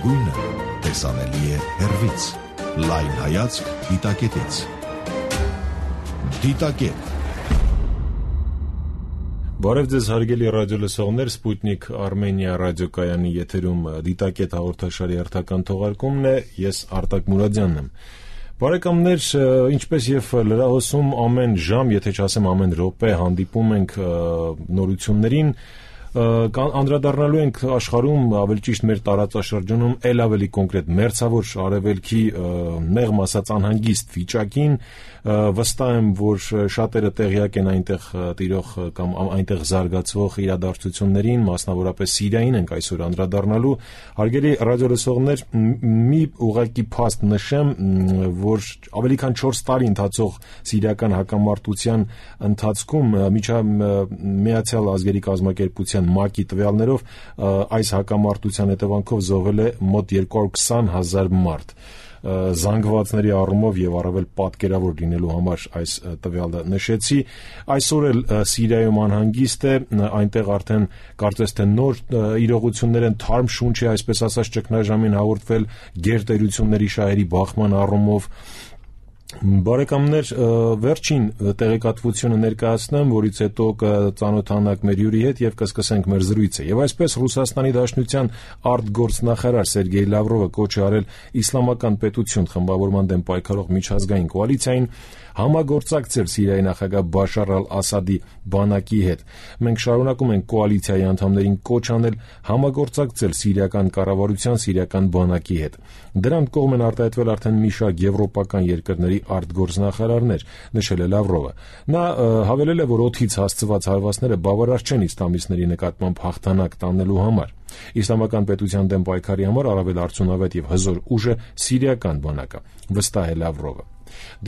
գույնը տեսանելի է հեռվից։ Լայն հայացք դիտակետից։ Դիտակետ։ Բարև ձեզ հարգելի ռադիոլսողներ, Սպուտնիկ Արմենիա ռադիոկայանի եթերում Դիտակետ հաղորդաշարի հերթական թողարկումն է, ես Արտակ Մուրադյանն եմ։ Բարեկամներ, ինչպես եւ լրահոսում ամեն ժամ, եթե չասեմ ամեն րոպե հանդիպում ենք նորություններին, անդրադառնալու ենք աշխարհում, ավելի ճիշտ մեր տարածաշրջանում ել ավելի կոնկրետ մերձավոր արևելքի մեղմ ասած անհանգիստ վիճակին, վստահ եմ, որ շատերը տեղյակ են այնտեղ տիրող կամ այնտեղ զարգացվող իրադարձություններին, մասնավորապես Սիրիային ենք այսօր անդրադառնալու։ Հարգելի ռադիոլսողներ, մի ուղղակի փաստ նշեմ, որ ավելի քան 4 տարի ընթացող սիրիական հակամարտության ընթացքում Միացյալ Ազգերի Կազմակերպության ՄԱԿ-ի տվյալներով այս հակամարտության հետևանքով զոհվել է մոտ 220,000 մարդ։ Զանգվածների առումով եւ առավել պատկերավոր լինելու համար այս տվյալը նշեցի։ Այսօր էլ Սիրիայում անհանգիստ է, այնտեղ արդեն կարծես թե նոր իրողություններ են, թարմ շունչ է, այսպես ասած, ճգնաժամին հաղորդվել գերտերությունների շահերի բախման առումով։ Բարեկամներ, վերջին տեղեկատվությունը ներկայացնեմ, որից հետո կծանոթանանք մեր հյուրի հետ եւ կսկսենք մեր զրույցը։ Եվ այսպես Ռուսաստանի Դաշնության արտգործնախարար Սերգեյ Լավրովը կոչ է արել իսլամական պետություն խմբավորման դեմ պայքարող միջազգային կոալիցիային համագործակցել Սիրիայի նախագահ Բաշար ալ-Ասադի բանակի հետ։ Մենք շարունակում ենք կոալիցիայի անդամներին կոչ անել համագործակցել սիրիական կառավարության, սիրիական բանակի հետ։ Դրան կողմ են արտահայտվել արդեն մի շարք եվրոպական երկրների արտգործնախարարներ, նշել է Լավրովը։ Նա հավելել է, որ օդից հասցված հարվածները բավարար չեն իսլամիստների նկատմամբ հաղթանակ տանելու համար։ Իսլամական պետության դեմ պայքարի համար առավել արդյունավետ եւ հզոր ուժը սիրիական բանակը, վստահ է Լավրովը։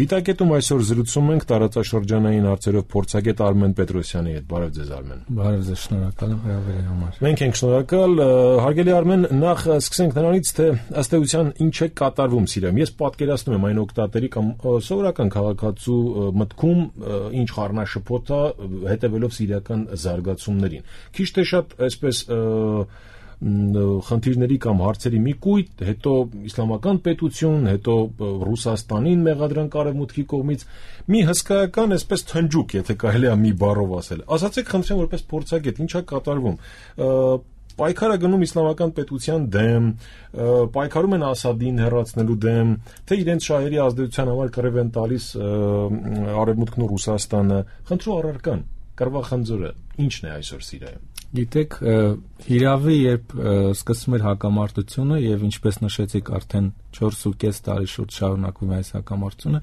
Դիտակետում այսօր զրուցում ենք տարածաշրջանային հարցերով փորձագետ Արմեն Պետրոսյանի հետ։ Բարև ձեզ, Արմեն։ Բարև ձեզ, շնորհակալ եմ հրավերի համար։ Մենք ենք շնորհակալ։ Հարգելի Արմեն, նախ սկսենք նրանից, թե ըստ էության ինչ է կատարվում Սիրիայում։ Ես պատկերացնում եմ այն օգտատերի կամ սովորական քաղաքացու մտքում ինչ խառնաշփոթ է հետևելով սիրիական զարգացումներին։ Քիչ թե շատ այսպես խնդիրների կամ հարցերի մի կույտ, հետո իսլամական պետություն, հետո Ռուսաստանին մեղադրանք արևմուտքի կողմից, մի հսկայական այսպես թնջուկ, եթե կարելի է մի բառով ասել։ Ասացեք, խնդրեմ, որպես փորձագետ, ինչ է կատարվում։ Պայքարը գնում իսլամական պետության դեմ, պայքարում են Ասադին հեռացնելու դեմ, թե իրենց շահերի ազդեցության համար կռիվ են տալիս արևմուտքն ու Ռուսաստանը։ Խնդրու առարկան, կռվախնձորը ինչն է այսօր Սիրիայում։ Գիտեք, հիրավի, երբ սկսվում էր հակամարտությունը եւ ինչպես նշեցիք, արդեն 4.5 տարի շուրջ շարունակվում է այս հակամարտությունը,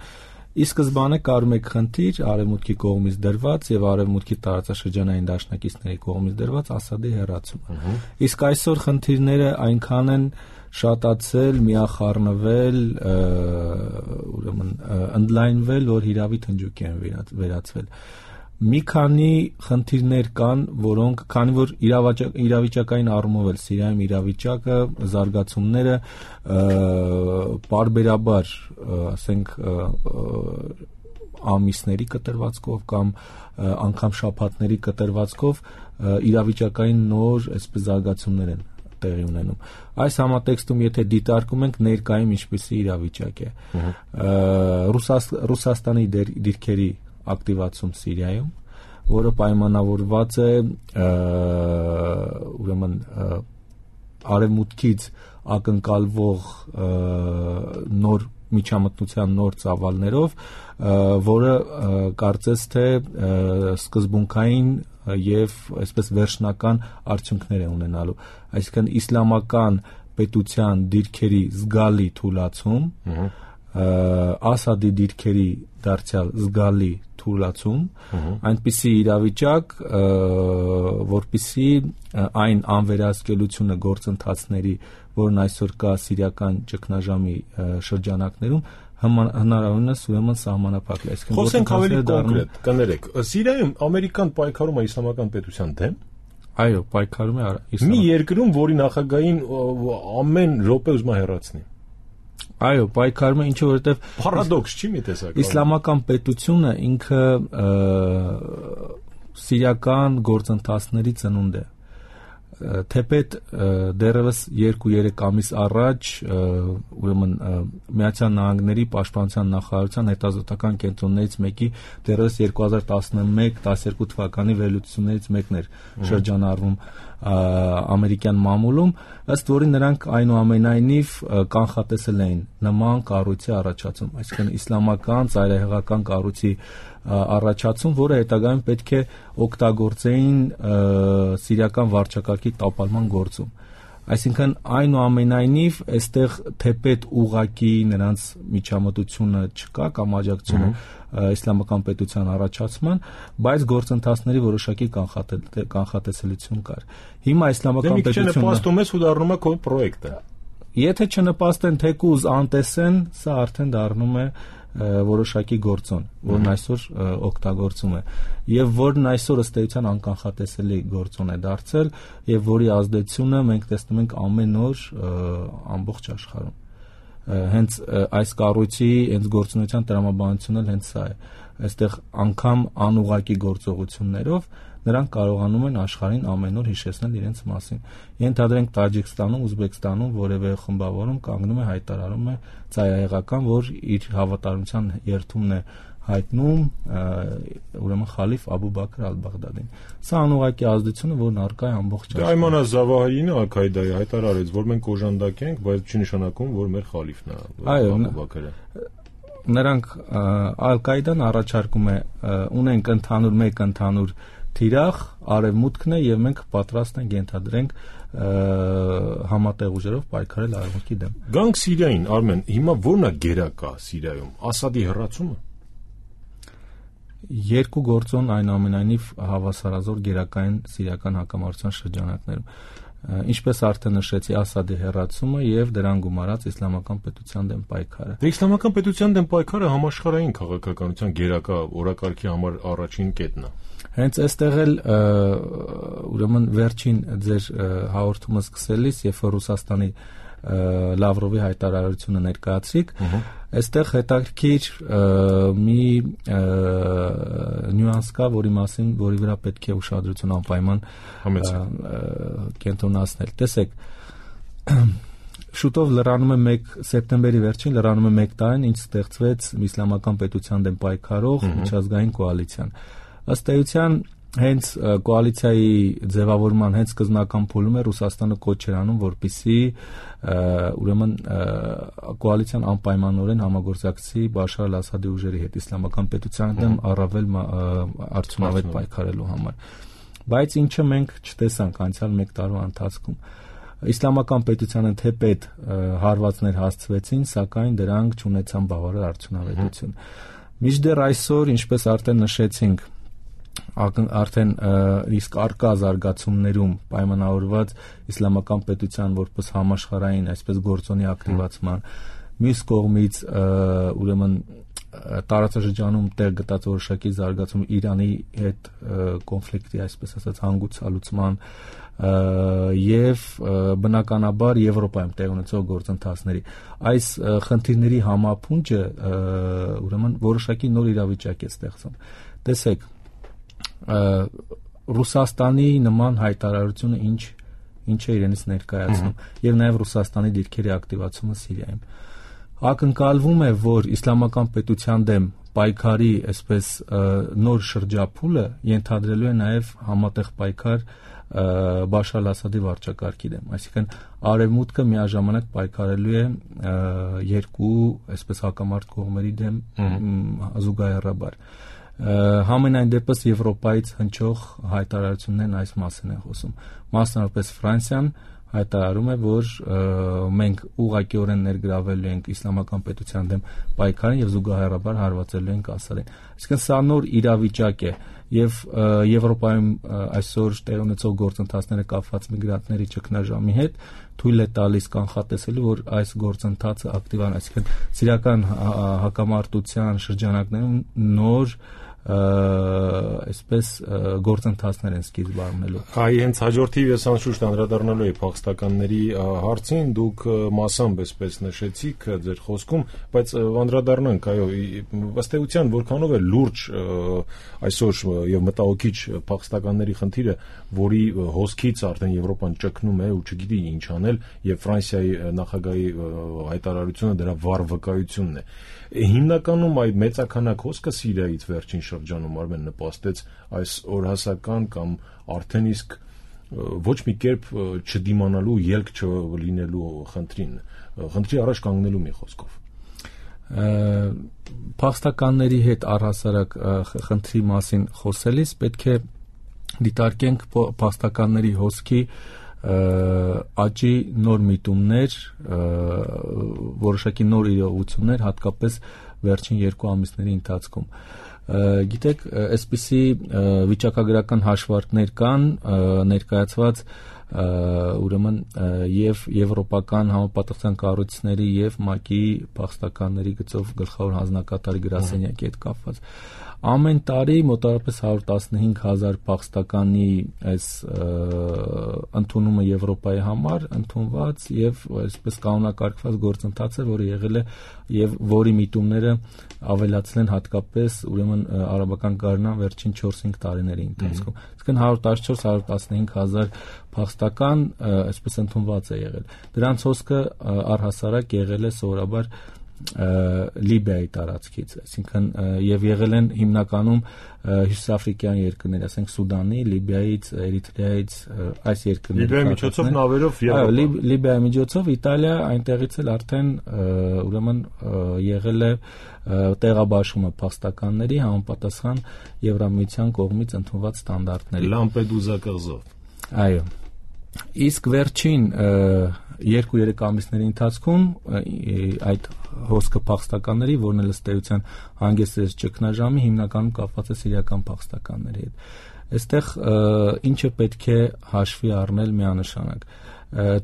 ի սկզբանե կար մեկ խնդիր արևմուտքի կողմից դրված եւ արևմուտքի տարածաշրջանային դաշնակիցների կողմից դրված Ասադի հեռացումը։ Իսկ այսօր խնդիրները այնքան են շատացել, միախառնվել, ուրեմն ընդլայնվել, որ հիրավի թնջուկ են վերածվել։ Մի քանի խնդիրներ կան, որոնք, քանի որ իրավիճակային առումով էլ Սիրիայում իրավիճակը, զարգացումները պարբերաբար, ասենք, ամիսների կտրվածքով կամ անգամ շաբաթների կտրվածքով իրավիճակային նոր այսպես զարգացումներ են տեղի ունենում։ Այս համատեքստում եթե դիտարկում ենք ներկայում ինչպիսի իրավիճակ է, Ռուսաստանի դիրքերի ակտիվացում Սիրիայում, որը պայմանավորված է ուրեմն արևմուտքից ակնկալվող նոր միջամտության նոր ծավալներով, որը կարծես թե սկզբունքային եւ այսպես վերջնական արդյունքներ է ունենալու, այսինքն իսլամական պետության դիրքերի զգալի թուլացում, Ասադի դիրքերի դարձյալ զգալի թուլացում, այնպիսի իրավիճակ, որպիսի այն անվերահսկելությունը գործընթացների, որն այսօր կա սիրիական ճգնաժամի շրջանակներում, հնարավորինս ուրեմն սահմանափակել։ Խոսենք ավելի կոնկրետ, կներեք, Սիրիայում ամերիկան պայքարում է իսլամական պետության դեմ։ Այո, պայքարում է մի երկրում, որի նախագահին ամեն րոպե ուզում է հեռացնի։ Այո, պայքարում է, ինչը որովհետև պարադոքս չի մի տեսակ։ Իսլամական պետությունը ինքը սիրիական գործընթացների ծնունդ է։ թեպետ դեռևս 2-3 ամիս առաջ ուրեմն Միացյալ Նահանգների պաշտպանության նախարարության հետազոտական կենտրոններից մեկի դեռևս 2011-12 թվականի վերլուծություններից մեկն էր շրջանառվում ամերիկյան մամուլում, ըստ որի նրանք այնուամենայնիվ կանխատեսել էին նման կառույցի առաջացում, այսինքն իսլամական ծայրահեղական կառույցի առաջացում, որը հետագայում պետք է օգտագործեին սիրիական վարչակարգի տապալման գործում։ Այսինքն այնուամենայնիվ այստեղ թեպետ ուղակի նրանց միջամտությունը չկա կամ աջակցությունը իսլամական պետության առաջացման, բայց գործընթացների որոշակի կանխատեսելիություն կար։ Հիմա իսլամական պետությունը նպաստում է ու դառնում է քո պրոյեկտը։ Եթե չնպաստեն թեկուզ անտեսեն, սա արդեն դառնում է որոշակի գործոն, որն այսօր օգտագործում է եւ որն այսօր ըստ էության անկանխատեսելի գործոն է դարձել եւ որի ազդեցությունը մենք տեսնում ենք ամեն օր ամբողջ աշխարհում։ Հենց այս կառույցի հենց գործունեության տրամաբանությունը հենց սա է։ Այստեղ անգամ անուղակի գործողություններով նրանք կարողանում են աշխարհին ամեն օր հիշեցնել իրենց մասին։ Ենթադրենք Տաջիկստանում, Ուզբեկստանում որևէ խմբավորում կանգնում է հայտարարում է ծայրահեղական, որ իր հավատարմության երթումն է հայտնում ուրեմն խալիֆ Աբու Բաքր ալ-Բաղդադին։ Սա անուղակի ազդեցությունը, որն առկա է ամբողջ աշխարհում։ Այմանա Զավահիրին Ալ-Քայդայի հայտարարեց, որ մենք օժանդակ ենք, բայց չի նշանակում, որ մեր խալիֆն է Աբու Բաքրը։ Նրանք Ալ-Քայդան առաջարկում է ունենք մեկ ընդհանուր թիրախ, արևմուտքն է եւ մենք պատրաստ ենք ենթադրենք համատեղ ուժերով պայքարել արևմուտքի դեմ։ Գանք Սիրիային, Արմեն, հիմա ո՞րն է գերակա Սիրիայում, Ասադի հեռացումը։ Երկու գործոն այնուամենայնիվ հավասարազոր գերակային սիրիական հակամարտության շրջանակներում։ Ինչպես արդեն նշեցի, Ասադի հեռացումը եւ դրան գումարած իսլամական պետության դեմ պայքարը։ Դե իսլամական պետության դեմ պայքարը համաշխարհային քաղաքականության գերակա օրակարգի համար առաջին կետն է։ Հենց այստեղ էլ ուրեմն վերջին ձեր հաղորդումը սկսելիս, երբ որ Ռուսաստանի Լավրովի հայտարարությունը ներկայացրիք, այստեղ հետաքրքիր մի նյուանս կա, որի վրա պետք է ուշադրություն անպայման կենտրոնացնել։ Տեսեք, շուտով լրանում է սեպտեմբերի վերջին լրանում է 1 տարին, ինչ ստեղծվեց իսլամական պետության դեմ պայքարող միջազգային կոալիցիան։ Ըստ էության հենց կոալիցիայի ձևավորման հենց սկզբնական փուլում է Ռուսաստանը կոչ էր անում, որպեսզի ուրեմն կոալիցիան անպայմանորեն համագործակցի Բաշար al-Ասադի ուժերի հետ իսլամական պետության դեմ առավել արդյունավետ պայքարելու համար։ Բայց ինչը մենք չտեսանք անցյալ 1 տարվա ընթացքում։ Իսլամական պետությանը թեպետ հարվածներ հասցվեցին, սակայն դրանք չունեցան բավարար արդյունավետություն։ Մինչդեռ այսօր, ինչպես արդեն նշեցինք, արդեն իսկ արկա զարգացումներում պայմանավորված իսլամական պետության որպես համաշխարհային այսպես գործոնի ակտիվացման, մյուս կողմից ուրեմն տարածաշրջանում տեղ գտած որոշակի զարգացում Իրանի հետ կոնֆլիկտի այսպես ասած հանգուցալուծման եւ բնականաբար Եվրոպայում տեղ ունեցող գործընթացների այս խնդիրների համապունջը ուրեմն որոշակի նոր իրավիճակ է ստեղծում։ Տեսեք, Ռուսաստանի նման հայտարարությունը ինչ է իրենից ներկայացնում եւ նաեւ Ռուսաստանի դիրքերի ակտիվացումը Սիրիայում ակնկալվում է, որ իսլամական պետության դեմ պայքարի այսպես նոր շրջափուլը ենթադրելու է նաեւ համատեղ պայքար Բաշար al-Ասադի վարչակարգի դեմ, այսինքն արևմուտքը միաժամանակ պայքարելու է երկու այսպես հակամարտ կողմերի դեմ զուգահեռաբար։ Համենայն դեպս Եվրոպայից հնչող հայտարարություններն այս մասին են խոսում։ Մասնավորապես Ֆրանսիան հայտարարում է, որ մենք ուղղակիորեն ներգրավելու ենք իսլամական պետության դեմ պայքարին եւ զուգահեռաբար հարվածելու ենք Ասադին։ Այսինքն սա նոր իրավիճակ է եւ Եվրոպայում այսօր տեղ ունեցող գործընթացները կապված միգրանտների ճգնաժամի հետ թույլ է տալիս կանխատեսելու, որ այս գործընթացը ակտիվանա, այսինքն սիրիական հակամարտության շրջանակներում նոր այսպես գործընթացներ են սկիզբ առնելու։ Այ հենց հաջորդիվ ես անշուշտ անդրադառնալու եմ փախստականների հարցին, դուք մասամբ այսպես նշեցիք ձեր խոսքում, բայց անդրադառնանք, այո, ըստ էության որքանով է լուրջ այսօր եւ մտահոգիչ փախստականների խնդիրը, որի հոսքից արդեն Եվրոպան ճկնում է ու չգիտի ինչ անել, եւ Ֆրանսիայի նախագահի հայտարարությունը դրա վառ վկայությունն է։ Հիմնականում այդ մեծականակ հոսքը Սիրիայից վերջին շրջանում Արմեն նպաստեց այս օրհասական կամ արդեն իսկ ոչ մի կերպ չդիմանալու, ելք չլինելու խնդրի առաջ կանգնելու մի խոսքով։ Փախստականների հետ առհասարակ խնդրի մասին խոսելիս պետք է դիտարկենք փախստականների հոսքի աճի նոր միտումներ, որոշակի նոր իրողություններ, հատկապես վերջին 2 ամիսների ընթացքում։ Գիտեք, այսպիսի վիճակագրական հաշվարկներ կան ներկայացված ուրեմն եւ եվրոպական համապատասխան կառույցների եւ ՄԱԿ-ի փախստականների գծով գլխավոր հանձնակատարի գրասենյակի հետ կապված։ Ամեն տարի մոտավորապես 115,000 փախստականի այս ընդունումը Եվրոպայի համար ընդունված եւ այսպես կանոնակարգված գործընթաց է, որը եղել է եւ որի միտումները ավելացել են հատկապես ուրեմն արաբական գարնան վերջին 4-5 տարիների ընթացքում։ Իսկն 114-115,000 փախստական այսպես ընդունված է եղել։ Դրանց հոսքը առհասարակ եղել է սովորաբար Լիբիայի տարածքից, այսինքն եւ եղել են հիմնականում հյուսիսաֆրիկյան երկրներ, ասենք Սուդանի, Լիբիայից, Էրիթրեայից, այս երկրներից։ Լիբիայի միջոցով նավերով Եվրոպա։ Լիբիայի միջոցով Իտալիա, այնտեղից էլ արդեն ուրեմն եղել է տեղաբաշխումը փախստականների համապատասխան Եվրամիության կողմից ընդունված ստանդարտների։ Լամպեդուզա կղզով։ Այո։ Իսկ վերջին 2-3 ամիսների ընթացքում այդ հոսքը փախստականների, որն էլ ըստ էության հանգեցրեց ճգնաժամի, հիմնականում կապված է սիրիական փախստականների հետ։ Այստեղ ինչը պետք է հաշվի առնել միանշանակ։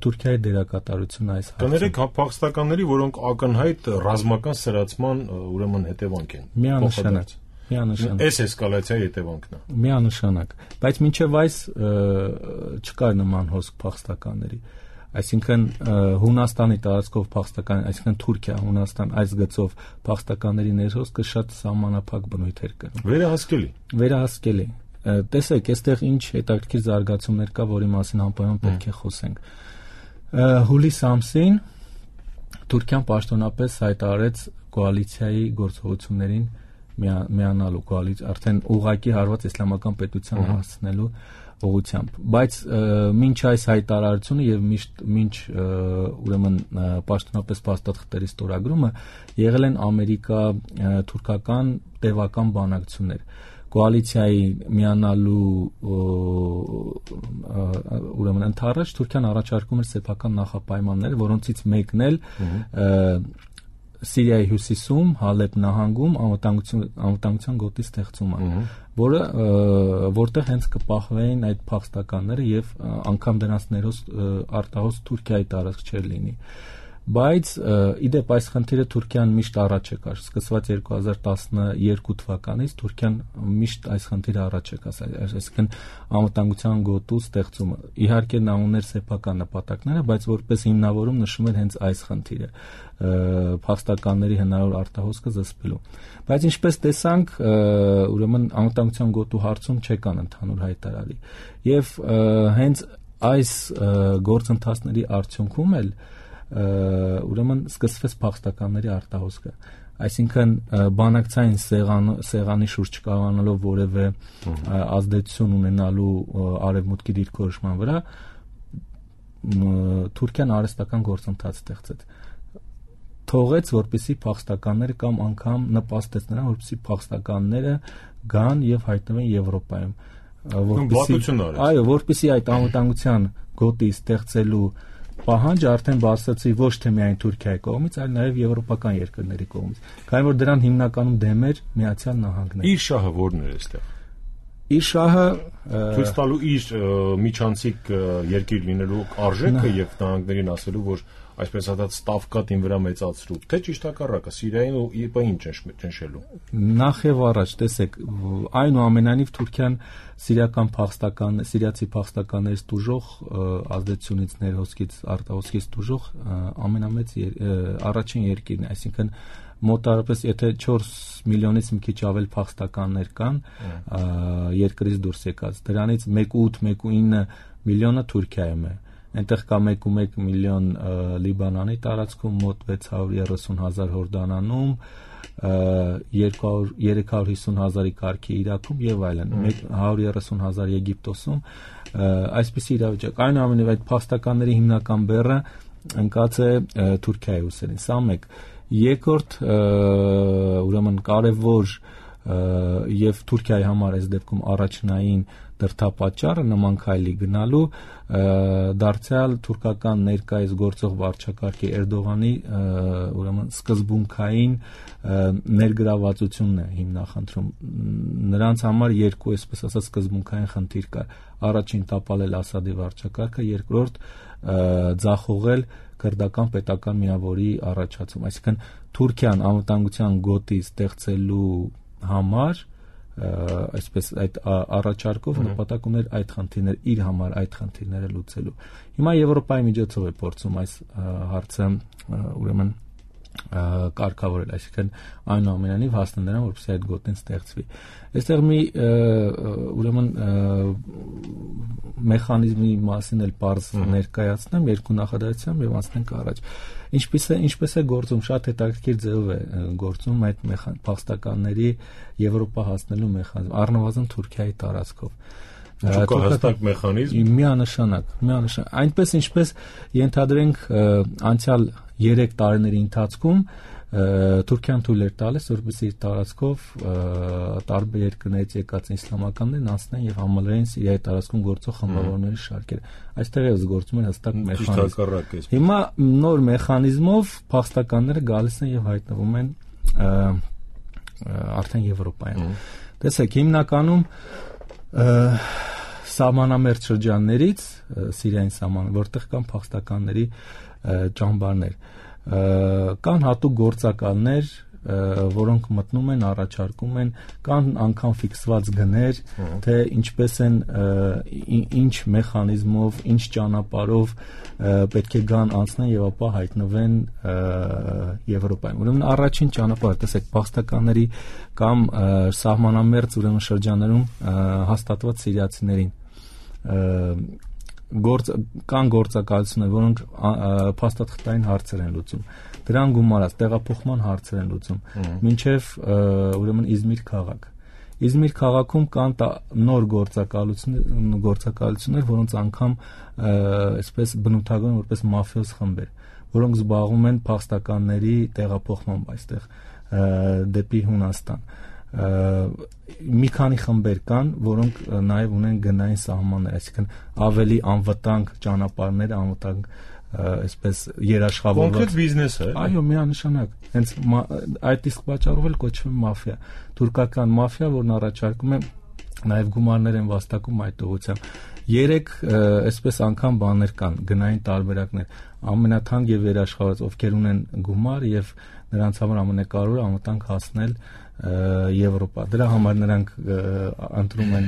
Թուրքիայի դերակատարությունը այս հարցում։ Կներեք փախստականների, որոնք ակնհայտ ռազմական սրացման ուրեմն հետևանք են։ Միանշանակ։ Այս էսկալացիայի հետևանքն է։ Միանշանակ, բայց մինչև այս չկար նման հոսք փախստականների։ Այսինքն Հունաստանի տարածքով փախստական, այսինքն Թուրքիա, Հունաստան այս գծով փախստականների ներհոսքը շատ սահմանափակ բնույթ էր կրում։ Վերահասկելի։ Տեսեք, այստեղ ինչ հետաքրքիր զարգացումներ կա, որի մասին անպայման պետք է խոսենք։ Հուլիս ամսին Թուրքիան պաշտոնապես հայտարարեց կոալիցիայի գործողություններին միանալու արդեն ուղղակի հարված իսլամական պետության հասցնելու ուղղությամբ, բայց մինչ այս հայտարարությունը եւ մինչ ուրեմն պաշտոնապես փաստաթղթերի ստորագրումը եղել են ամերիկա-թուրքական տևական բանակցություններ։ Կոալիցիայի միանալու ուրեմն ընդառաջ Թուրքիան առաջարկում էր սեփական նախապայմաններ, որոնցից մեկն էլ Սիրիայի հյուսիսում, Հալեբ նահանգում անվտանգության գոտի ստեղծումը, որտեղ հենց կպահվեին այդ փախստականները եւ անգամ դրանց ներոս արտահոս Թուրքիայի տարածք չէր լինի։ Բայց իդեպ այս խնդիրը Թուրքիան միշտ առաջ է կար, սկսված 2012 թվականից Թուրքիան միշտ այս խնդիրը առաջ է կասել, այսինքն անվտանգության գոտու ստեղծումը։ Իհարկե նա ուներ սեփական նպատակները, բայց որպես հիմնավորում նշում էր հենց այս խնդիրը փախստականների հնարավոր արտահոսքը զսպելու։ Բայց ինչպես տեսանք, ուրեմն անվտանգության գոտու հարցում չեկան ընդհանուր հայտարարի։ Եվ հենց այս գործընթացների արդյունքում էլ ուրեմն սկսվեց փախստականների արտահոսքը, այսինքն բանակցային սեղանի շուրջ չկարողանալով որևէ ազդեցություն ունենալու արևմուտքի դիրքորոշման վրա, Թուրքիան արհեստական գործընթաց ստեղծեց, թողեց, որպեսզի փախստականները կամ անգամ նպաստեց նրան, որպեսզի փախստականները գան եւ հայտնվեն Եվրոպայում, որպեսզի այդ անվտանգության գոտի ստեղծելու պահանջը արդեն բարձրացի ոչ թե միայն Թուրքիայի կողմից, այլ նաև եվրոպական երկրների կողմից։ Քանի որ դրան հիմնականում դեմ էր Միացյալ Նահանգները։ Իր շահը ո՞րն էր այստեղ։ Իր շահը ցույց տալու իր միջանցիկ երկիր լինելու արժեքը եւ նահանգներին ասելու, որ այսպես ասած ստավկատին վրա մեծացրու, թե ճիշտ հակառակը Սիրիային ու ԻՊ-ին ճնշելու։ Նախ եւ առաջ, տեսեք, այնուամենայնիվ Թուրքիան սիրիացի փախստականներից տուժող ազդեցությունից ներհոսքից արտահոսքից տուժող ամենամեծ առաջին երկիրն է, այսինքն մոտարապես եթե 4 միլիոնից մի քիչ ավել փախստականներ կան երկրից դուրս եկած, դրանից 1.8-1.9 միլիոնը Թուրքիայում է, այնտեղ կա 1.1 միլիոն Լիբանանի տարածքում, մոտ 630,000 Հորդանանում, 350,000-ի կարգի Իրաքում եւ այլն, 130,000 Եգիպտոսում, այսպիսի իրավիճակ։ Այնուամենայնիվ այդ փախստականների հիմնական բեռը ընկած է Թուրքիայի ուսերին, սա մեկ։ Երկրորդ, ուրեմն կարևոր եւ Թուրքիայի համար այս դեպքում առաջնային դրդապատճառը նման քայլի գնալու դարձյալ թուրքական ներկայիս գործող վարչակարգի Էրդողանի ուրեմն սկզբունքային ներգրավվածությունն է հիմնախնդրում։ Նրանց համար երկու, այսպես ասած, սկզբունքային խնդիր կար։ Առաջին տապալել Ասադի վարչակարգը, երկրորդ ձախողել քրդական պետական միավորի առաջացում, այսինքն Թուրքիան անվտանգության գոտի ստեղծելու համար այսպես այդ առաջարկով նպատակ ուներ այդ խնդիրները իր համար այդ խնդիրները լուծելու։ Հիմա Եվրոպայի միջոցով է փորձում այս հարցը ուրեմն կարգավորել, այսինքն այնուամենայնիվ հասնել նրան, որպեսզի այդ գոտին ստեղծվի։ Այստեղ մի ուրեմն մեխանիզմի մասին էլ պարզ ներկայացնեմ երկու նախադասությամբ եւ անցնենք առաջ։ Ինչպես է գործում, շատ հետաքրքիր ձևով է գործում այդ փախստականների Եվրոպա հասնելու մեխանիզմը, առնվազն Թուրքիայի տարածքով։ Հստակ մեխանիզմ միանշանակ, այնպես ինչպես ենթադրենք անցյալ 3 տարիների ընթացքում Թուրքիան թույլ էր տալիս, որպեսզի իր տարածքով տարբեր երկրներից եկած իսլամականներն անցնեն եւ համալրեն Սիրիայի տարածքում գործող խմբավորների շարքերը։ Այստեղ էս գործում են հստակ մեխանիզմ։ Հիմա նոր մեխանիզմով փախստականները գալիս են եւ հայտնվում են արդեն Եվրոպայում։ Տեսեք, հիմնականում սահմանամերձ շրջաններից Սիրիային սահման, որտեղ կան փախստականների ճամբարներ, կան հատուկ գործակալներ, որոնք մտնում են, առաջարկում են, կան անգամ ֆիքսված գներ, թե ինչպես են, ինչ մեխանիզմով, ինչ ճանապարհով պետք է գան անցնեն եւ ապա հայտնվեն Եվրոպայում։ Ուրեմն առաջին ճանապարհը, տեսեք, փախստականների կամ սահմանամերձ ուրեմն շրջաններում հաստատված սիրիացիներին կան գործակալություններ, որոնք փաստաթղթային հարցեր են լուծում, դրան գումարած տեղափոխման հարցեր են լուծում, մինչև ուրեմն Իզմիր քաղաք։ Իզմիր քաղաքում կան նոր գործակալություններ, որոնց անգամ այսպես բնութագրում որպես մաֆիոզ խմբեր, որոնք զբաղվում են փախստականների տեղափոխմամբ այստեղ դեպի Հունաստան։ Մի քանի խմբեր կան, որոնք նաև ունեն գնային սահմաններ, այսինքն ավելի անվտանգ ճանապարհներ, անվտանգ այսպես երաշխավորված կոնկրետ բիզնես է։ Այո, միանշանակ։ Հենց այդ իսկ պատճառով էլ կոչվում է մաֆիա, թուրքական մաֆիա, որն առաջարկում է նաև գումարներ են վաստակում այդ ուղղությամբ։ 3 այսպես անգամ բաներ կան, գնային տարբերակներ, ամենաթանկ եւ երաշխավորված, ովքեր ունեն գումար եւ նրանց համար ամենակարևորը անվտանգ հասնել Եվրոպա։ Դրա համար նրանք ընտրում են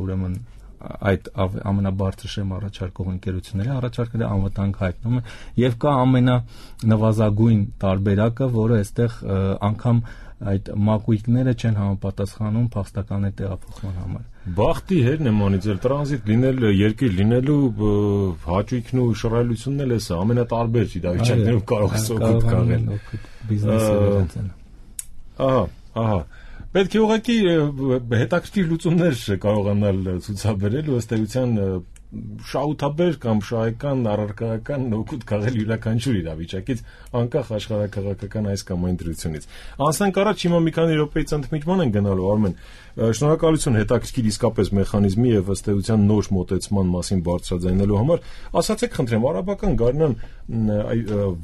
ուրեմն այդ ամենաբարձր շեմ առաջարկող ընկերությունների առաջարկները անվտանգ հայտնում են եւ կա ամենանվազագույն տարբերակը, որը այստեղ անգամ այդ մակույկները չեն համապատասխանում փախստականների տեղափոխման համար։ Բախտի հետ նմանից էլ տրանզիտ լինել, երկիր լինելու հաճույքն ու շռայլությունն էլ է սա, ամենատարբեր իրավիճակներում կարող է օգուտ կաղել։ Բիզնեսը։ Ահա։ Պետք է ուղղակի հետաքրքիր լուծումներ կարողանալ ցուցաբերել ու ըստ էության շահութաբեր կամ շահեկան, առարկայական օգուտ քաղել յուրաքանչյուր իրավիճակից, անկախ աշխարհակաղակական այս կամ այն դրությունից։ Անցնենք առաջ, հիմա մի քանի րոպեից ընդմիջման են գնալու, Արմեն։ Շնորհակալություն հետաքրքիր իսկապես մեխանիզմի եւ ըստ էության նոր մոտեցման մասին բարձրաձայնելու համար։ Ասացեք, խնդրեմ, արաբական գարնան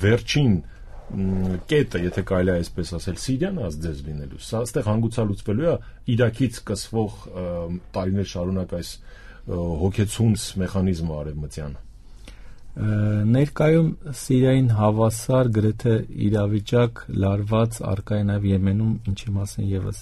վերջին կետը, եթե կարելի է այսպես ասել, Սիրիան ազդեց լինելու։ Սա այստեղ հանգուցալուծվելու է Իրաքից սկսվող տարիներ շարունակ այս հոգեցունց մեխանիզմը արևմտյան։ Ներկայում Սիրիային հավասար գրեթե իրավիճակ լարված արկա է նաև Եմենում, ինչի մասին եւս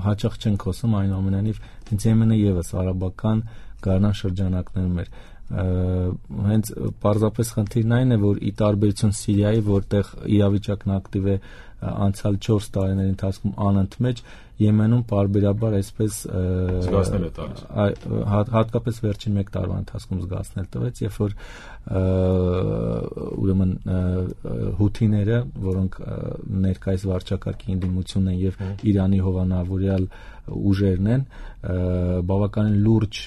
հաճախ չեն խոսում, այնուամենայնիվ հենց Եմենը եւս արաբական գարնան շրջանակներում էր։ Հենց պարզապես խնդիրն այն է, որ ի տարբերություն Սիրիայի, որտեղ իրավիճակն ակտիվ է անցյալ 4 տարիների ընթացքում անընդմեջ, Եմենում պարբերաբար այսպես զգացնել է տալիս։ Հատկապես վերջին 1 տարվա ընթացքում զգացնել տվեց, երբ որ ուրեմն հութիները, որոնք ներկայիս վարչակարգի ընդդիմությունն են եւ Իրանի հովանավորյալ ուժերն են, բավականին լուրջ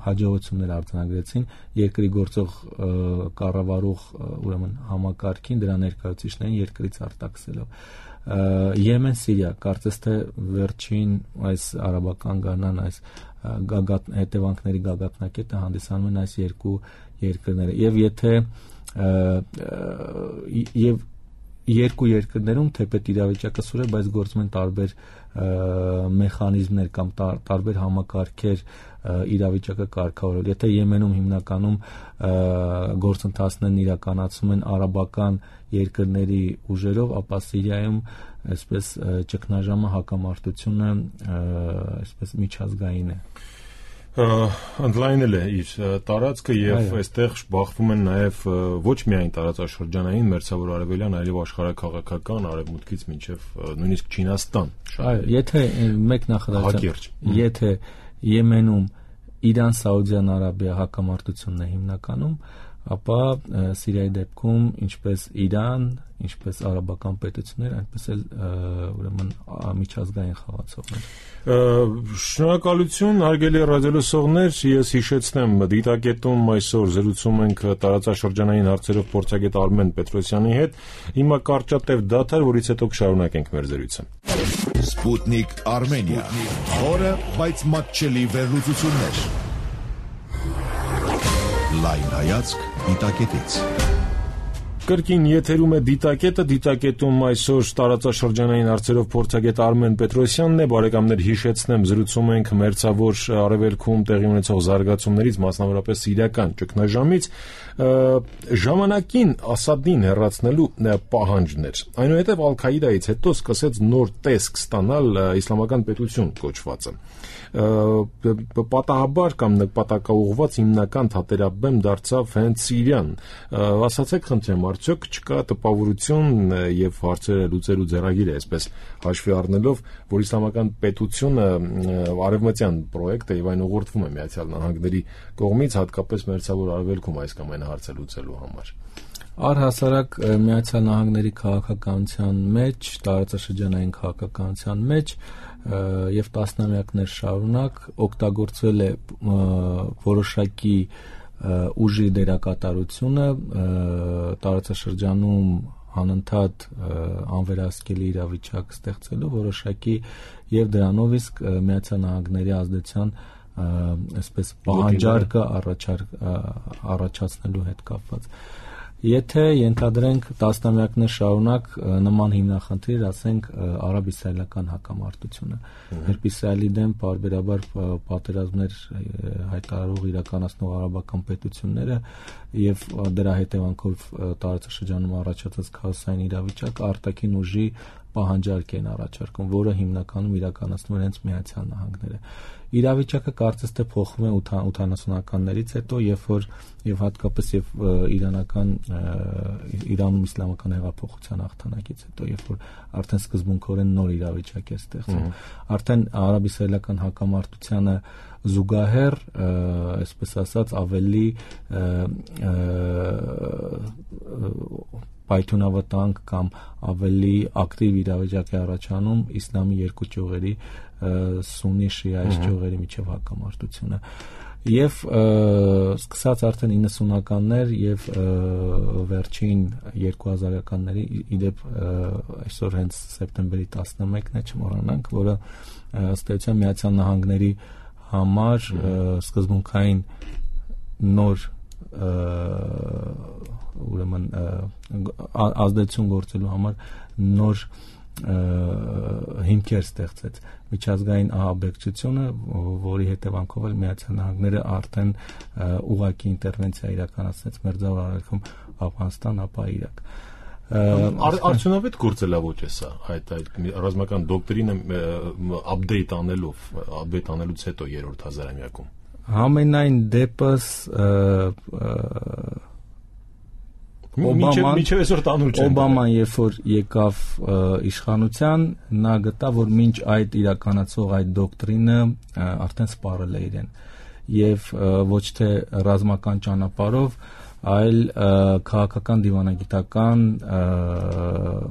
հաջողություններ արձանագրեցին երկրի գործող կառավարող ուրեմն համակարգին, դրա ներկայացուցիչներին երկրից արտաքսելով։ Եմեն, Սիրիա, կարծես թե վերջին այս արաբական գարնան այս հետևանքների գագաթնակետը հանդիսանում են այս երկու երկրները, եւ եթե երկու երկրներում թեպետ իրավիճակը սուր է, բայց գործում են տարբեր մեխանիզմներ կամ տարբեր համակարգեր իրավիճակը կարգավորել։ Եթե Եմենում հիմնականում գործընթացներն իրականացում են արաբական երկրների ուժերով, ապա Սիրիայում այսպես ճգնաժամը, հակամարտությունը այսպես միջազգային է։ Ընդլայնել է իր տարածքը եւ այստեղ բախվում են նաեւ ոչ միայն տարածաշրջանային, մերձավոր արևելյան, այլև աշխարհաքաղաքական արևմուտքից մինչեւ նույնիսկ Չինաստան։ Այո, եթե մեկ նախադասություն, եթե Եմենում Իրան-Սաուդյան Արաբիա հակամարտությունն է հիմնականում, ապա Սիրիայի դեպքում ինչպես Իրան, ինչպես արաբական պետություններ, այնպես էլ ուրեմն միջազգային խաղացողներ։ Շնորհակալություն, հարգելի ռադիոլսողներ, ես հիշեցնեմ, դիտակետում այսօր զրուցում ենք տարածաշրջանային հարցերով փորձագետ Արմեն Պետրոսյանի հետ։ Հիմա կարճատև դադար, որից հետո կշարունակենք մեր զրույցը։ Սպուտնիկ Արմենիա, խորը, բայց մատչելի վերլուծություններ։ Լայն հայացք դիտակետից։ Կրկին եթերում է դիտակետը, դիտակետում այսօր տարածաշրջանային հարցերով փորձագետ Արմեն Պետրոսյանն է, բարեկամներ, հիշեցնեմ, զրուցում ենք մերձավոր արևելքում տեղի ունեցող զարգացումներից, մասնավորապես սիրիական ճգնաժամից, ժամանակին Ասադին հեռացնելու պահանջներ։ Այնուհետև Ալ-Քաիդայից հետո սկսեց նոր տեսք ստանալ իսլամական պետություն կոչվածը։ Պատահաբար կամ նպատակաուղղված հիմնական թատերաբեմ դարձավ հենց Սիրիան։ Ասացեք, խնդրեմ, արդյոք չկա տպավորություն եւ հարցերը լուծելու ձեռագիր է, այսպես հաշվի առնելով, որ իսլամական պետությունը արևմտյան պրոյեկտ է եւ այն ուղղորդվում է Միացյալ Նահանգների կողմից, հատկապես մերձավոր արևելքում այս կամ այն հարցը լուծելու համար։ Առհասարակ Միացյալ Նահանգների քաղաքականության մեջ, տարածաշրջանային քաղաքականության մեջ եւ տասնամյակներ շարունակ օգտագործվել է որոշակի ուժի դերակատարությունը տարածաշրջանում անընդհատ անվերահսկելի իրավիճակ ստեղծելու որոշակի եւ դրանով իսկ Միացյալ Նահանգների ազդեցության այսպես պահանջարկը առաջացնելու հետ կապված։ Եթե ենթադրենք տասնամյակներ շարունակ նման հիմնախնդիր, ասենք արաբ-իսրայելական հակամարտությունը, երբ Իսրայելի դեմ պարբերաբար պատերազմներ հայտարարող իրականացնող արաբական պետությունները եւ դրա հետևանքով տարածաշրջանում առաջացած քաոսային իրավիճակը արտաքին ուժի պահանջարկ են առաջարկում, որը հիմնականում իրականացնում են հենց Միացյալ Նահանգները։ Իրավիճակը կարծես թե փոխվում է 80-ականներից հետո, երբ որ եւ հատկապես Իրանում իսլամական հեղափոխության հաղթանակից հետո, երբ որ արդեն սկզբունքորեն նոր իրավիճակ է ստեղծվում, արդեն արաբ-իսրայելական հակամարտությանը զուգահեռ, այսպես ասած, ավելի պայթյունավտանգ կամ ավելի ակտիվ իրավիճակ է առաջանում իսլամի երկու ճյուղերի սուննի շիայի ճյուղերի միջև հակամարտությունը եւ սկսած արդեն 90-ականներ եւ վերջին 2000-ականների իդեպ այսօր հենց սեպտեմբերի 11-ն է, չմոռանանք, որը ըստ էության Միացյալ Նահանգների համար սկզբունքային նոր ուրեմն ազդեցություն գործելու համար նոր հիմքեր ստեղծեց միջազգային ահաբեկչությունը, որի հետևանքով էլ Միացյալ Նահանգները արդեն ուղղակի ինտերվենցիա իրականացրեց Մերձավոր Արևելքում, Աֆղանստան, ապա Իրաք։ Արդյունավետ գործելավոճ է սա, այդ ռազմական դոկտրինը update անելուց հետո երրորդ հազարամյակում։ Համենայն դեպս Օբաման երբ որ եկավ իշխանության, նա գտավ, որ մինչ այդ իրականացող այդ դոկտրինը արդեն սպառել է իրեն, եւ ոչ թե ռազմական ճանապարհով, այլ քաղաքական դիվանագիտական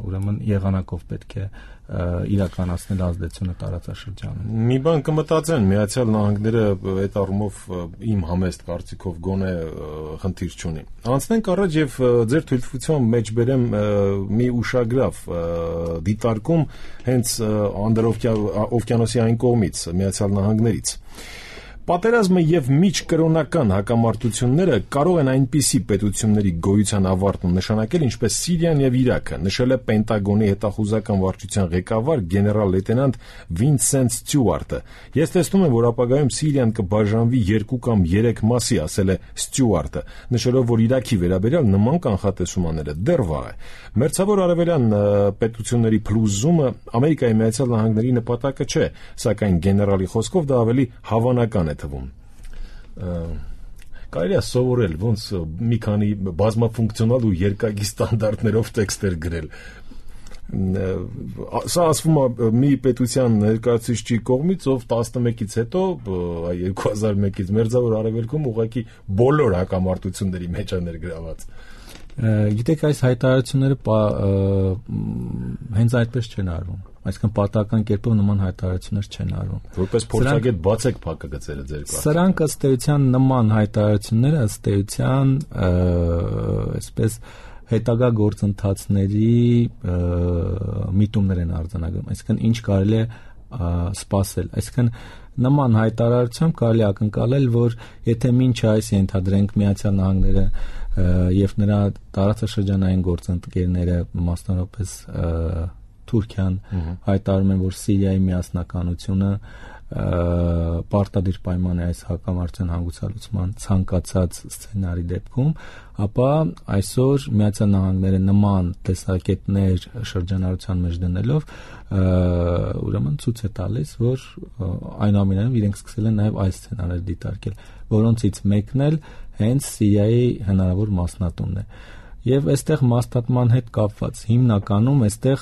ուրեմն եղանակով պետք է իրականացնել ազդեցությունը տարածաշրջանում։ Մի բան կմտածեն, Միացյալ Նահանգները այդ առումով իմ համեստ կարծիքով գոնե խնդիր չունի։ Անցնենք առաջ եւ ձեր թույլտվության մեջ բերեմ մի ուշագրավ դիտարկում հենց Անդրօվկիանոսի այն կողմից, Միացյալ Նահանգներից։ Պատերազմը եւ միջկրոնական հակամարտությունները կարող են այնպիսի պետությունների գոյության ավարտում նշանակել, ինչպես Սիրիան եւ Իրաքը, նշել է Պենտագոնի հետախուզական վարչության ղեկավար գեներալ-լեյտենանտ Վինսենտ Ստյուարտը։ Ես տեսնում եմ, որ ապագայում Սիրիան կբաժանվի 2 կամ 3 մասի, ասել է Ստյուարտը, նշելով, որ Իրաքի վերաբերյալ նման կանխատեսումները դեռ վաղ է։ Մերձավոր արևելյան պետությունների փլուզումը Ամերիկայի Միացյալ Նահանգների նպատակը չէ, սակայն գեներալի խոսքով դա ավելի հավանական է թվում։ Կարելի է սովորել ոնց մի քանի բազմաֆունկցիոնալ ու երկակի ստանդարտներով տեքստեր գրել։ Սա ասվում է մի պետության ներկայացուցիչի կողմից, ով 11-ից հետո 2001-ից Մերձավոր Արևելքում ուղղակի բոլոր հակամարտությունների մեջ է ներգրաված։ Գիտեք, այս հայտարարությունները հենց այդպես չեն արվում, այսինքն պատահական կերպով նման հայտարարություններ չեն արվում։ Որպես փորձագետ բացեք փակագծերը ձեր կարգ։ Սրանք ըստ էության նման հայտարարությունները ըստ էության այսպես հետագա գործընթացների միտումներ են արձանագրում, այսինքն ինչ կարելի է սպասել, այսինքն նման հայտարարությամբ կարելի ակնկալել, որ եթե մինչ այս ենթադրենք Միացյալ Նահանգները եւ նրա տարածաշրջանային գործընկերները, մասնավորապես Թուրքիան, հայտարարում են, որ Սիրիայի միասնականությունը պարտադիր պայման է այս հակամարտության հանգուցալուծման ցանկացած սցենարի դեպքում, ապա այսօր Միացյալ Նահանգները նման տեսակետներ շրջանառության մեջ դնելով ուրեմն ցույց է տալիս, որ այնուամենայնիվ իրենք սկսել են նաև այս սցենարները դիտարկել, որոնցից մեկն էլ հենց Սիրիայի հնարավոր մասնատումն է։ Եվ այստեղ մասնատման հետ կապված հիմնականում այստեղ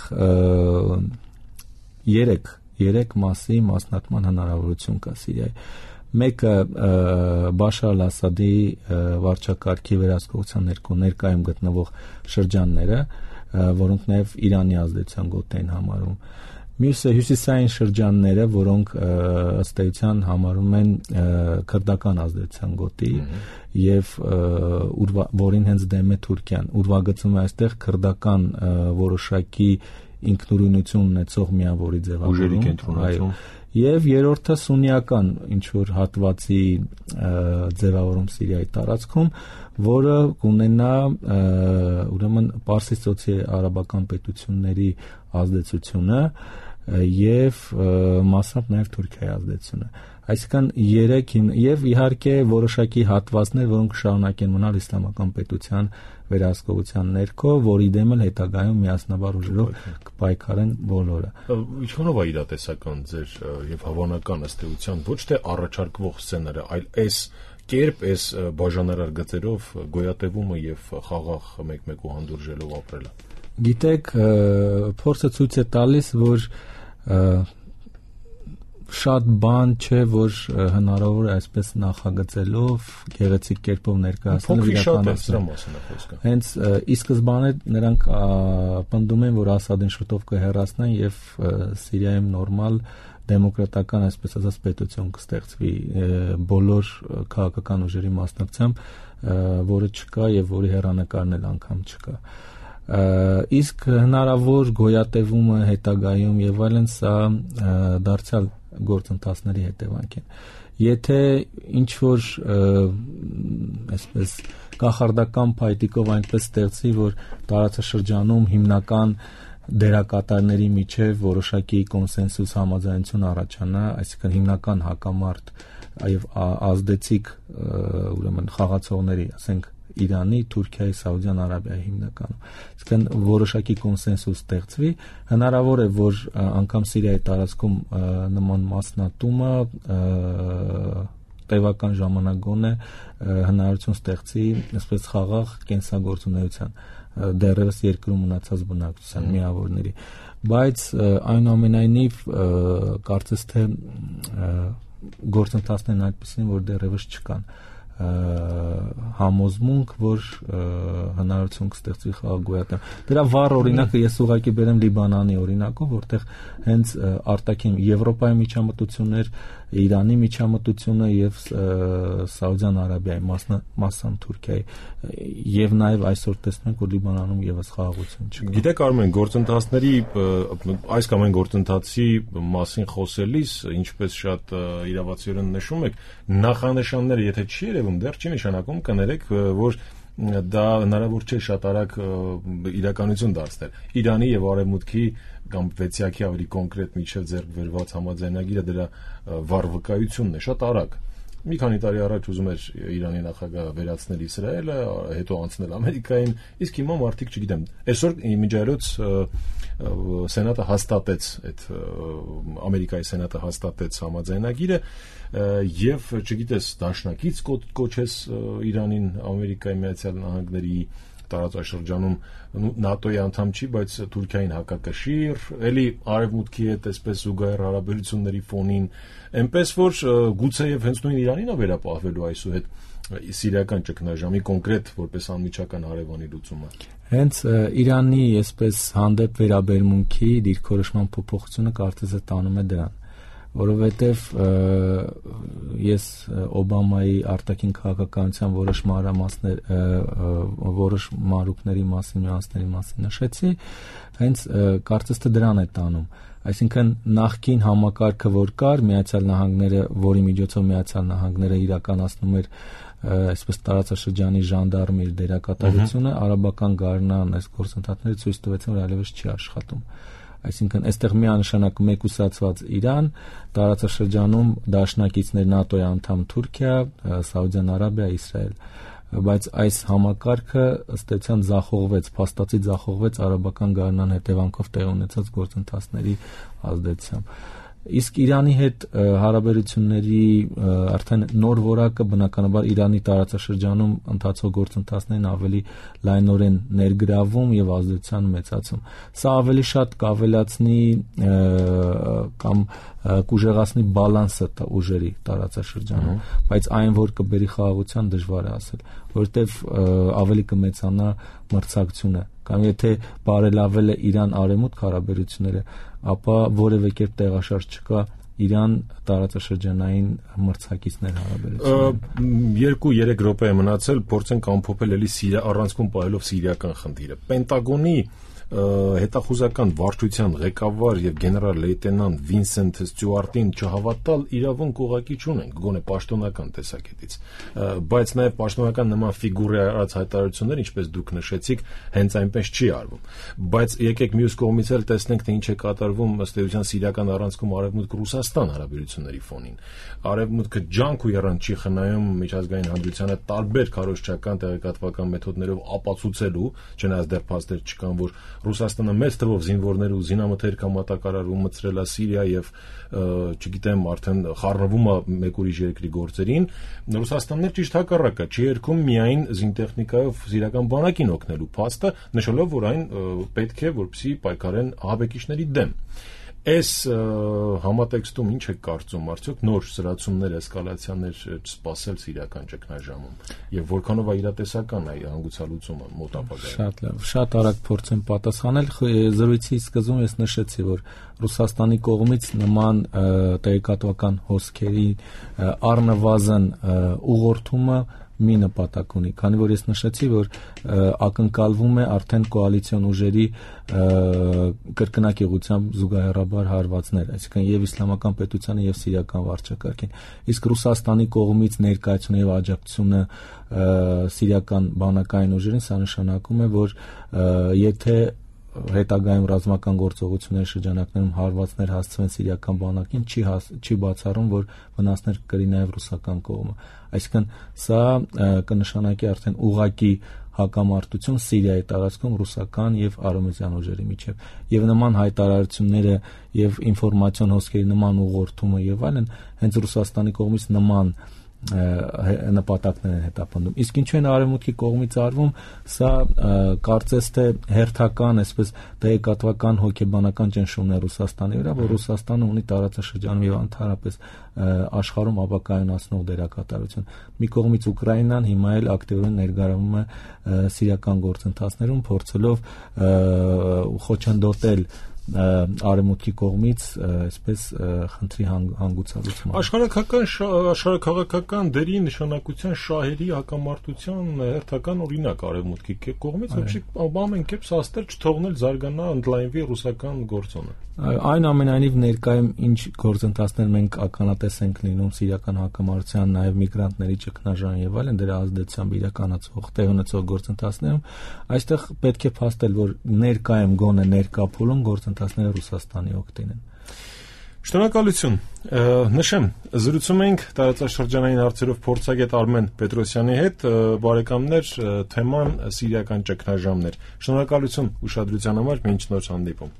3 մասի մասնատման հնարավորություն կա Սիրիայի։ Մեկը Բաշար al-Ասադի վարչակարգի վերահսկողության ներկայում գտնվող շրջանները, որոնք նաև Իրանի ազդեցության գոտ են համարում։ Մյուսը հյուսիսային շրջանները, որոնք ըստ էության համարում են քրդական ազդեցության գոտի եւ որին հենց դեմ է Թուրքիան, ուրվագծում է այստեղ քրդական որոշակի ինքնուրույնություն ունեցող միավորի ձևավորում, եւ երրորդը սուննիական ինչ որ հատվածի ձևավորում Սիրիայի տարածքում, որը կունենա ուրեմն Պարսից արաբական պետությունների ազդեցությունը եւ մասամբ նաեւ Թուրքիայի ազդեցությունը։ Այսինքն 3 եւ իհարկե որոշակի հատվածներ, որոնք շարունակեն մնալ իսլամական պետության վերահսկողության ներքո, որի դեմ էլ հետագայում միասնաբար ուժերով կպայքարեն բոլորը։ Ինչքանով է իրատեսական ձեր եւ հավանական ըստ էության ոչ թե առաջարկվող սցենարը, այլ այս կերպ, այս բաժանարար գծերով գոյատևումը եւ խաղաղ մեկ-մեկու հանդուրժելով ապրելը։ Գիտեք, փորձը ցույց է տալիս, որ շատ բան չէ, որ հնարավոր է այսպես նախագծելով գեղեցիկ կերպով ներկայացնել իրականացնել։ Հենց ի սկզբանե նրանք պնդում են, որ Ասադին շուտով կհեռացնեն եւ Սիրիայում նորմալ դեմոկրատական, այսպես ասած, պետություն կստեղծվի բոլոր քաղաքական ուժերի մասնակցությամբ, որը չկա եւ որի հեռանկարն էլ անգամ չկա։ Իսկ հնարավոր գոյատևումը հետագայում եւ այլն սա դարձյալ գործընթացների հետևանք են։ Եթե ինչ որ այսպես կախարդական փայտիկով այնպես ստեղծի, որ տարածաշրջանում հիմնական դերակատարների միջև որոշակի կոնսենսուս համաձայնություն առաջանա, այսինքն հիմնական հակամարտ եւ ազդեցիկ ուրեմն խաղացողների, ասենք Իրանի, Թուրքիայի, Սաուդյան Արաբիայի հիմնականում։ Այսինքն որոշակի կոնսենսուս ստեղծվի, հնարավոր է, որ անգամ Սիրիայի տարածքում նման մասնատումը տևական ժամանակ գոնե հնարավորություն ստեղծի, այսպես խաղաղ կենսագործունեության դեռևս երկրում մնացած բնակչության միավորների, բայց այնուամենայնիվ կարծես թե գործընթացներն այդպիսին, որ դեռևս չկան համոզմունք, որ հնարավորություն կստեղծվի խաղաղ գոյատեմ։ Դրա վառ օրինակը ես ուղղակի բերեմ Լիբանանի օրինակով, որտեղ հենց արտաքին Եվրոպայի միջամտություններ, Իրանի միջամտությունը եւ Սաուդյան Արաբիայի, մասամբ Թուրքիայի, եւ նաեւ այսօր տեսնում ենք, որ Լիբանանում եւս խաղաղություն չկա։ Գիտեք, Արմեն, գործընթացների այս կամ այն գործընթացի մասին խոսելիս, ինչպես շատ իրավացիորեն նշում եք, նախանշանները, եթե չի երևում, դեռ չի նշանակում, կներեք, որ դա հնարավոր չէ շատ արագ իրականություն դարձնել։ Իրանի եւ Արևմուտքի կամ վեցյակի ավելի կոնկրետ միջև ձեռք բերված համաձայնագիրը դրա վառ վկայությունն է, շատ արագ։ Մի քանի տարի առաջ ուզում էր Իրանի նախագահ վերացնել Իսրայելը, հետո անցնել Ամերիկային, իսկ հիմա մարդիկ, չգիտեմ, այսօր իմիջիայլոց Սենատը հաստատեց այդ Ամերիկայի Սենատը հաստատեց համաձայնագիրը եւ չգիտես դաշնակից կոչես Իրանին Ամերիկայի Միացյալ Նահանգների տարածաշրջանում ՆԱՏՕ-ի անդամ չի, բայց Թուրքիային հակակշիռ, էլի Արևմուտքի հետ այսպես զուգահեռ հարաբերությունների ֆոնին, այնպես որ գուցեև հենց նույն Իրանին է վերապահվելու այսուհետ սիրիական ճգնաժամի կոնկրետ որպես անմիջական հարևանի լուծումը։ Հենց Իրանի այսպես հանդեպ վերաբերմունքի դիրքորոշման փոփոխությունը կարծես է տանում է դրան, որովհետև ես Օբամայի արտաքին քաղաքականության որոշ մանրուքների մասին, նյուանսների մասին նշեցի, հենց կարծես թե դրան է տանում։ Այսինքն նախկին համակարգը, որ կար, Միացյալ Նահանգները, որի միջոցով Միացյալ Նահանգները իրականացնում էր այսպես տարածաշրջանի ժանդարմի իր դերակատարությունը, արաբական գարնան այս գործընթացները ցույց տվեցին, որ այլևս չի աշխատում։ Այսինքն այստեղ միանշանակ մեկուսացված Իրան, տարածաշրջանում դաշնակիցներ ՆԱՏՕ-ի անդամ Թուրքիա, Սաուդյան Արաբիա, Իսրայել, բայց այս համակարգը ըստ էության ձախողվեց, փաստացի ձախողվեց արաբական գարնան հետևանքով տեղի ունեցած գործընթացների ազդեցությամբ։ Իսկ Իրանի հետ հարաբերությունների արդեն նոր որակը բնականաբար Իրանի տարածաշրջանում ընթացող գործընթացներին ավելի լայնորեն ներգրավում եւ ազդեցության մեծացում։ Սա ավելի շատ կավելացնի կամ կուժեղացնի բալանսը ուժերի տարածաշրջանում, բայց այն որ կբերի խաղաղության դժվար է ասել, որովհետեւ ավելի կմեծանա մրցակցությունը, կամ եթե բարելավել է Իրան-Արևմուտք հարաբերությունները, ապա որևէ կերպ տեղաշարժ չկա Իրան տարածաշրջանային մրցակիցներ հարաբերությունները։ 2-3 րոպե է մնացել, փորձենք ամփոփել էլի առանցքում պահելով սիրիական խնդիրը։ Պենտագոնի հետախուզական վարչության ղեկավար եւ գեներալ լեյտենանտ Վինսենթ Ստյուարտին չհավատալ իրավունք ուղղակի չունենք, գոնե պաշտոնական տեսակետից, բայց նաեւ պաշտոնական նման ֆիգուրի արած հայտարարություններ, ինչպես դուք նշեցիք, հենց այնպես չի արվում։ Բայց եկեք մյուս կողմից էլ տեսնենք, թե ինչ է կատարվում ըստ էության սիրիական առանցքում Արևմուտք-Ռուսաստան հարաբերությունների ֆոնին։ Արևմուտքը ջանք ու եռանդ չի խնայում միջազգային հանրությանը տարբեր քարոզչական տեղեկատվական մեթոդներով ապացուցելու, չնայած դեռ փաստեր չկան, որ Ռուսաստանը մեծ թվով զինվորներ ու զինամթերք մատակարարում մտցրել է Սիրիա եւ չգիտեմ արդեն խառնվում է մեկ ուրիշ երկրի գործերին, Ռուսաստանն էլ ճիշտ հակառակը չի երգում միայն զինտեխնիկայով սիրիական բանակին օգնելու փաստը, նշելով, որ այն պետք է որպեսզի պայքարեն ահաբեկիչների դեմ։ Այս համատեքստում ինչ է կարծում, արդյոք նոր սրացումներ, էսկալացիաներ չսպասել սիրիական ճգնաժամում եւ որքանով է իրատեսական է հանգուցալուծումը մոտ ապագայում։ Շատ արագ փորձեմ պատասխանել։ Զրույցի սկզբում ես նշեցի, որ Ռուսաստանի կողմից նման տեղեկատվական հոսքերի առնվազն ուղղորդումը մի նպատակ ունի, քանի որ ես նշեցի, որ ակնկալվում է արդեն կոալիցիոն ուժերի կրկնակիղությամբ զուգահեռաբար հարվածներ, այսինքն եւ իսլամական պետությանը եւ սիրիական վարչակարգին։ Իսկ Ռուսաստանի կողմից ներկայացումը եւ աջակցությունը սիրիական բանակային ուժերին, սա նշանակում է, որ եթե հետագայում ռազմական գործողությունների շրջանակներում հարվածներ հասցվեն սիրիական բանակին, չի բացառում, որ վնասներ կրի նաև ռուսական կողմը։ Այսինքն սա կնշանակի արդեն ուղղակի հակամարտություն Սիրիայի տարածքում ռուսական եւ արևմտյան ուժերի միջև, եւ նման հայտարարությունները եւ ինֆորմացիոն հոսքերի նման ուղղորդումը եւ այլն հենց Ռուսաստանի կողմից նման նպատակներ են հետապնդում։ Իսկ ինչու են արևմուտքի կողմից արվում, սա կարծես թե հերթական, այսպես տեղեկատվական հոգեբանական ճնշումներ Ռուսաստանի վրա, որ Ռուսաստանը ունի տարածաշրջանում եւ ընդհանրապես աշխարհում ապակայունացնող դերակատարություն։ Մի կողմից Ուկրաինան հիմա էլ ակտիվորեն ներգրավում է սիրիական գործընթացներում, փորձելով խոչընդոտել արևմուտքի կողմից այսպես խնդրի հանգուցալուծման աշխարհաքաղաքական դերի նշանակության շահերի հակամարտության հերթական օրինակ արևմուտքի կողմից ամեն կերպ սաստել չթողնել զարգանա ընդլայնվի ռուսական գործոնը։ Այնուամենայնիվ ներկայում ինչ գործընթացներ մենք ականատես ենք լինում սիրիական հակամարտության, նաև միգրանտների ճգնաժամ եւ այլն դրա ազդեցությամբ իրականացվող տեղ ունեցող գործընթացներում, այստեղ պետք է փաստել, որ ներկայում գոնե ներկա փուլում գործընթացները Ռուսաստանի օգտին են։ Շնորհակալություն։ Նշեմ, զրուցում ենք տարածաշրջանային հարցերով փորձագետ Արմեն Պետրոսյանի հետ, բարեկամներ, թեման սիրիական ճգնաժամն էր։ Շնորհակալություն ուշադրության համար, մինչ նոր հանդիպում։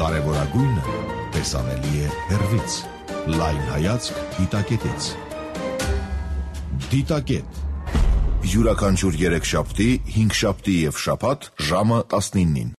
Կարևորագույնը տեսանելի է հեռվից։ Լայն հայացք դիտակետից։ Դիտակետ։ Յուրաքանչյուր 3 շաբթի, 5 շաբթի եւ շաբաթ ժամը 19-ին։